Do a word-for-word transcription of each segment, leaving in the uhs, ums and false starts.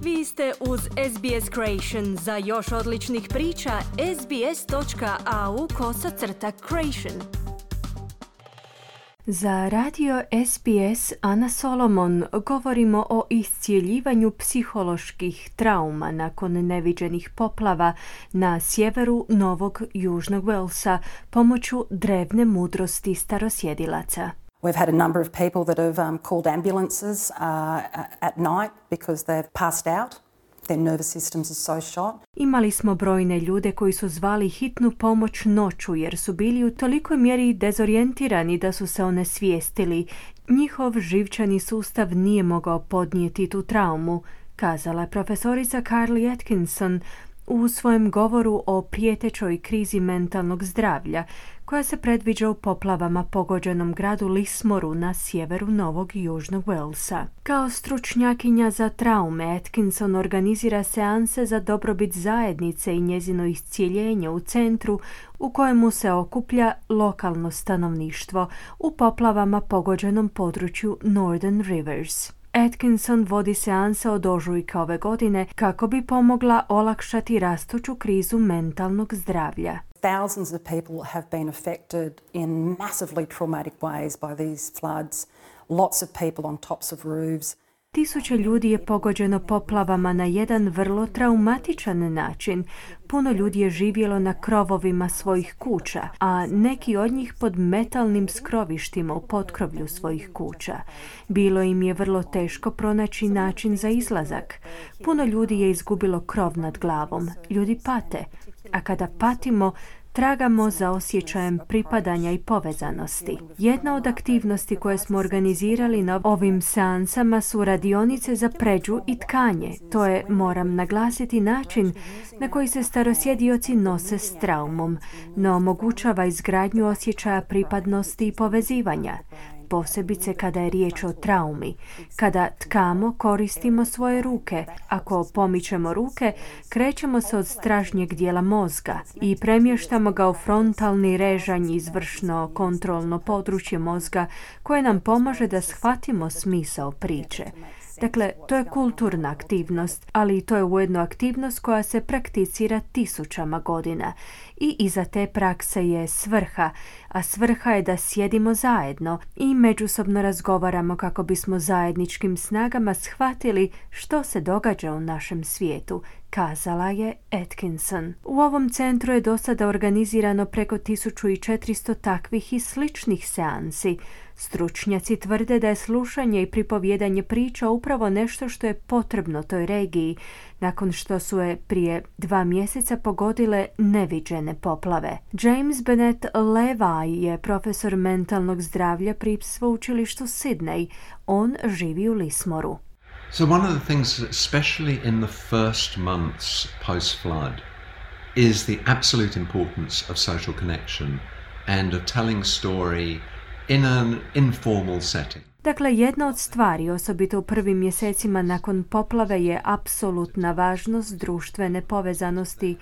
Vi ste uz S B S Creation. Za još odličnih priča, sbs.au kosacrta Creation. Za radio S B S Ana Solomon govorimo o iscijeljivanju psiholoških trauma nakon neviđenih poplava na sjeveru Novog Južnog Walesa pomoću drevne mudrosti starosjedilaca. We've had a number of people that have um, called ambulances uh, at night because they've passed out. Their nervous systems are so shot. Imali smo brojne ljude koji su zvali hitnu pomoć noću jer su bili u tolikoj mjeri dezorijentirani da su se onesvijestili. Njihov živčani sustav nije mogao podnijeti tu traumu, kazala je profesorica Carly Atkinson u svojem govoru o prijetećoj krizi mentalnog zdravlja koja se predviđa u poplavama pogođenom gradu Lismoru na sjeveru Novog Južnog Walesa. Kao stručnjakinja za traume, Atkinson organizira seanse za dobrobit zajednice i njezino iscijeljenje u centru u kojemu se okuplja lokalno stanovništvo u poplavama pogođenom području Northern Rivers. Atkinson vodi seanse od ožujka ove godine kako bi pomogla olakšati rastuću krizu mentalnog zdravlja. Thousands of people have been affected in massively traumatic ways by these floods. Lots of people on tops of roofs. Tisuće ljudi je pogođeno poplavama na jedan vrlo traumatičan način. Puno ljudi je živjelo na krovovima svojih kuća, a neki od njih pod metalnim skrovištima u potkrovlju svojih kuća. Bilo im je vrlo teško pronaći način za izlazak. Puno ljudi je izgubilo krov nad glavom. Ljudi pate, a kada patimo, tragamo za osjećajem pripadanja i povezanosti. Jedna od aktivnosti koje smo organizirali na ovim seansama su radionice za pređu i tkanje. To je, moram naglasiti, način na koji se starosjedioci nose s traumom, no omogućava izgradnju osjećaja pripadnosti i povezivanja. Posebice kada je riječ o traumi. Kada tkamo, koristimo svoje ruke. Ako pomičemo ruke, krećemo se od stražnjeg dijela mozga i premještamo ga u frontalni režanj, izvršno kontrolno područje mozga koje nam pomaže da shvatimo smisao priče. Dakle, to je kulturna aktivnost, ali to je ujedno aktivnost koja se prakticira tisućama godina. I iza te prakse je svrha, a svrha je da sjedimo zajedno i međusobno razgovaramo kako bismo zajedničkim snagama shvatili što se događa u našem svijetu, kazala je Atkinson. U ovom centru je do sada organizirano preko tisuću četiristo takvih i sličnih seansi. Stručnjaci tvrde da je slušanje i pripovjedanje priča upravo nešto što je potrebno toj regiji, nakon što su je prije dva mjeseca pogodile neviđene poplave. James Bennett Levi je profesor mentalnog zdravlja pri sveučilištu Sydney. On živi u Lismoru. So one of the things, especially in the first months post-flood, is the absolute importance of social connection and of telling story in an informal setting. Dakle, jedna od stvari, osobito u prvim mjesecima nakon poplave, je apsolutna važnost društvene povezanosti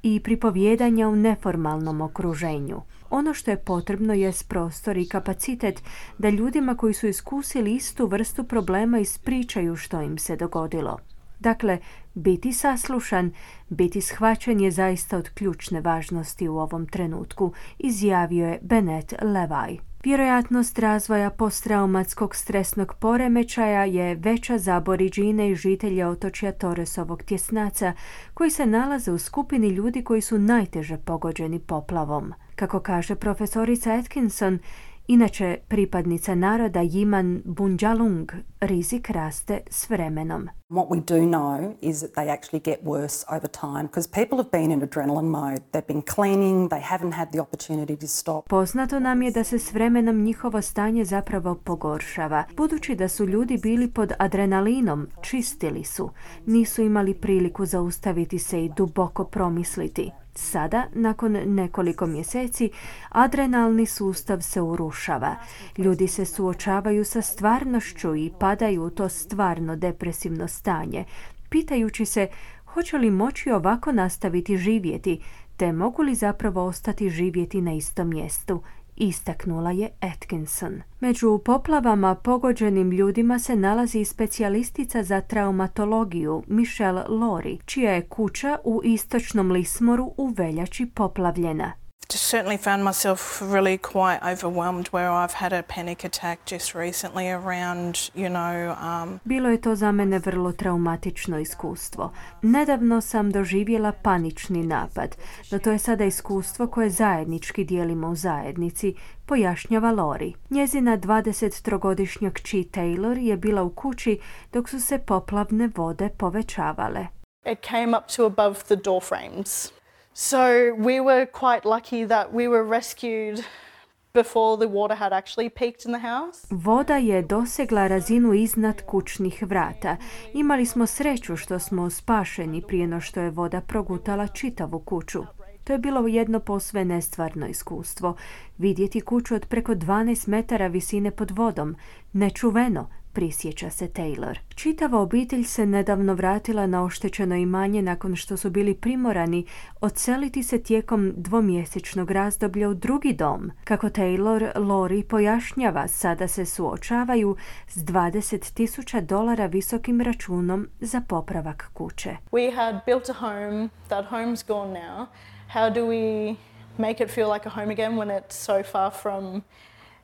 i pripovjedanja u neformalnom okruženju. Ono što je potrebno je prostor i kapacitet da ljudima koji su iskusili istu vrstu problema ispričaju što im se dogodilo. Dakle, biti saslušan, biti shvaćen je zaista od ključne važnosti u ovom trenutku, izjavio je Bennett Levi. Vjerojatnost razvoja posttraumatskog stresnog poremećaja je veća za Aboridžine i žitelje otočja Torresovog tjesnaca, koji se nalaze u skupini ljudi koji su najteže pogođeni poplavom. Kako kaže profesorica Atkinson, inače pripadnica naroda Yiman Bundjalung, rizik raste s vremenom. What we do know is that they actually get worse over time because people have been in adrenaline mode. They've been cleaning, they haven't had the opportunity to stop. Poznato nam je da se s vremenom njihovo stanje zapravo pogoršava. Budući da su ljudi bili pod adrenalinom, čistili su, nisu imali priliku zaustaviti se i duboko promisliti. Sada, nakon nekoliko mjeseci, adrenalni sustav se urušava. Ljudi se suočavaju sa stvarnošću i padaju u to stvarno depresivno stanje, pitajući se hoće li moći ovako nastaviti živjeti, te mogu li zapravo ostati živjeti na istom mjestu, istaknula je Atkinson. Među poplavama pogođenim ljudima se nalazi specijalistica za traumatologiju Michelle Laurie, čija je kuća u istočnom Lismoru u veljači poplavljena. Just certainly found myself really quite overwhelmed where I've had a panic attack just recently around, you know... Um... Bilo je to za mene vrlo traumatično iskustvo. Nedavno sam doživjela panični napad, no to je sada iskustvo koje zajednički dijelimo u zajednici, pojašnjava Laurie. Njezina dvadesettrogodišnja kći Taylor je bila u kući dok su se poplavne vode povećavale. It came up to above the door frames. So we were quite lucky that we were rescued before the water had actually peaked in the house. Voda je dosegla razinu iznad kućnih vrata. Imali smo sreću što smo spašeni prije no što je voda progutala čitavu kuću. To je bilo jedno posve nestvarno iskustvo. Vidjeti kuću od preko dvanaest metara visine pod vodom. Nečuveno, prisjeća se Taylor. Čitava obitelj se nedavno vratila na oštećeno imanje nakon što su bili primorani odseliti se tijekom dvomjesečnog razdoblja u drugi dom. Kako Taylor Laurie pojašnjava, sada se suočavaju s dvadeset tisuća dolara visokim računom za popravak kuće. We had built a home, that home's gone now. How do we make it feel like a home again when it's so far from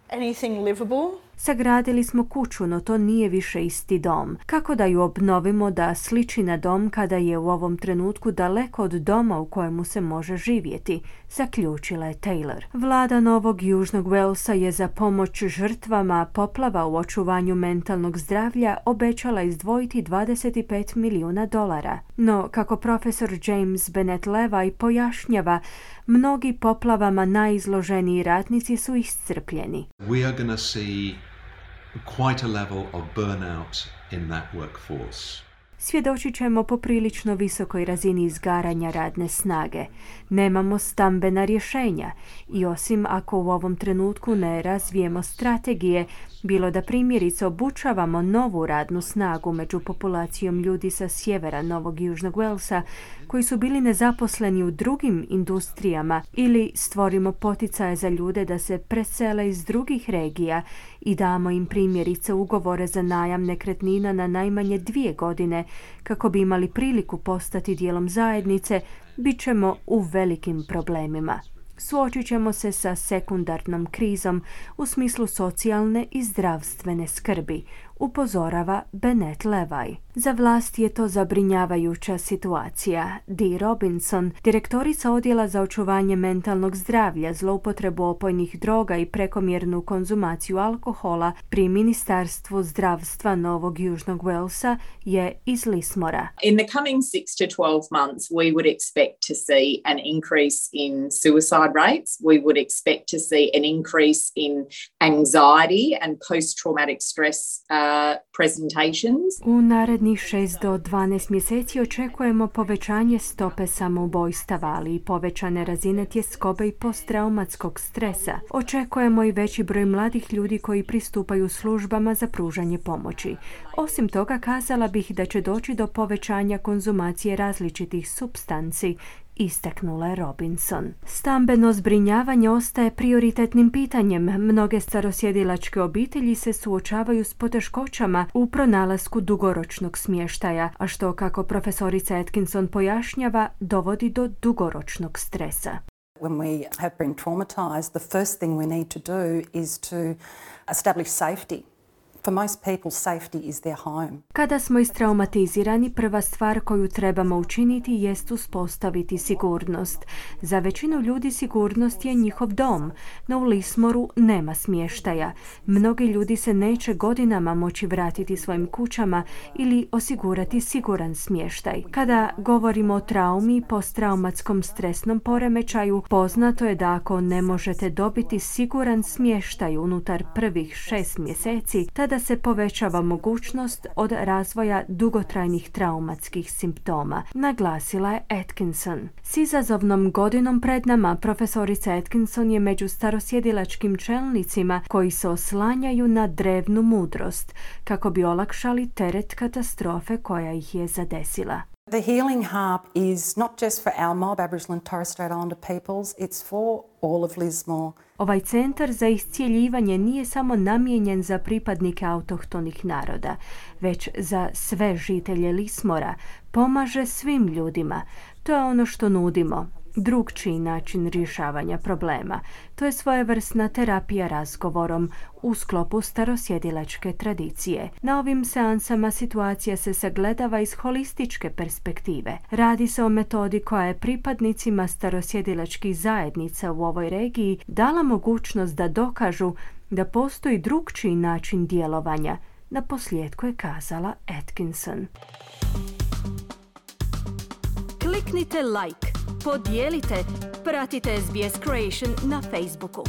anything livable? Sagradili smo kuću, no to nije više isti dom. Kako da ju obnovimo da sliči na dom kada je u ovom trenutku daleko od doma u kojemu se može živjeti, zaključila je Taylor. Vlada Novog Južnog Walesa je za pomoć žrtvama poplava u očuvanju mentalnog zdravlja obećala izdvojiti dvadeset pet milijuna dolara. No, kako profesor James Bennett Levi pojašnjava, mnogi poplavama najizloženiji ratnici su iscrpljeni. We are going to see quite a level of burnout in that workforce. Svjedočit ćemo poprilično visokoj razini izgaranja radne snage. Nemamo stambena rješenja i osim ako u ovom trenutku ne razvijemo strategije, bilo da primjerice obučavamo novu radnu snagu među populacijom ljudi sa sjevera Novog Južnog Walesa koji su bili nezaposleni u drugim industrijama ili stvorimo poticaje za ljude da se presele iz drugih regija i damo im primjerice ugovore za najam nekretnina na najmanje dvije godine kako bi imali priliku postati dijelom zajednice, bit ćemo u velikim problemima. Suočit ćemo se sa sekundarnom krizom u smislu socijalne i zdravstvene skrbi, upozorava Bennett Levi. Za vlast je to zabrinjavajuća situacija. Dee Robinson, direktorica odjela za očuvanje mentalnog zdravlja, zloupotrebu opojnih droga i prekomjernu konzumaciju alkohola pri Ministarstvu zdravstva Novog Južnog Walesa, je iz Lismora. In the coming six to twelve months, we would expect to see an increase in suicide rates. We would expect to see an increase in anxiety and post-traumatic stress uh, presentations. U narednih šest do dvanaest mjeseci očekujemo povećanje stope samoubojstava, ali i povećane razine tjeskobe i posttraumatskog stresa. Očekujemo i veći broj mladih ljudi koji pristupaju službama za pružanje pomoći. Osim toga, kazala bih da će doći do povećanja konzumacije različitih supstanci, istaknula je Robinson. Stambeno zbrinjavanje ostaje prioritetnim pitanjem. Mnoge starosjedilačke obitelji se suočavaju s poteškoćama u pronalasku dugoročnog smještaja, a što, kako profesorica Atkinson pojašnjava, dovodi do dugoročnog stresa. When we have been traumatized, the first thing we need to do is to establish safety. For most people, safety is their home. Kada smo istraumatizirani, prva stvar koju trebamo učiniti jest uspostaviti sigurnost. Za većinu ljudi sigurnost je njihov dom, no u Lismoru nema smještaja. Mnogi ljudi se neće godinama moći vratiti svojim kućama ili osigurati siguran smještaj. Kada govorimo o traumi i posttraumatskom stresnom poremećaju, poznato je da ako ne možete dobiti siguran smještaj unutar prvih šest mjeseci, tada da se povećava mogućnost od razvoja dugotrajnih traumatskih simptoma, naglasila je Atkinson. S izazovnom godinom pred nama, profesorica Atkinson je među starosjedilačkim čelnicima koji se oslanjaju na drevnu mudrost kako bi olakšali teret katastrofe koja ih je zadesila. The healing harp is not just for our mob, Aboriginal and Torres Strait Islander peoples, it's for all of Lismore. Ovaj centar za iscijeljivanje nije samo namijenjen za pripadnike autohtonih naroda, već za sve žitelje Lismora. Pomaže svim ljudima. To je ono što nudimo. Drugčiji način rješavanja problema. To je svojevrsna terapija razgovorom u sklopu starosjedilačke tradicije. Na ovim seansama situacija se sagledava iz holističke perspektive. Radi se o metodi koja je pripadnicima starosjedilačkih zajednica u ovoj regiji dala mogućnost da dokažu da postoji drugčiji način djelovanja. Na posljedku je kazala Atkinson. Kliknite like, podijelite, pratite S B S Creation na Facebooku.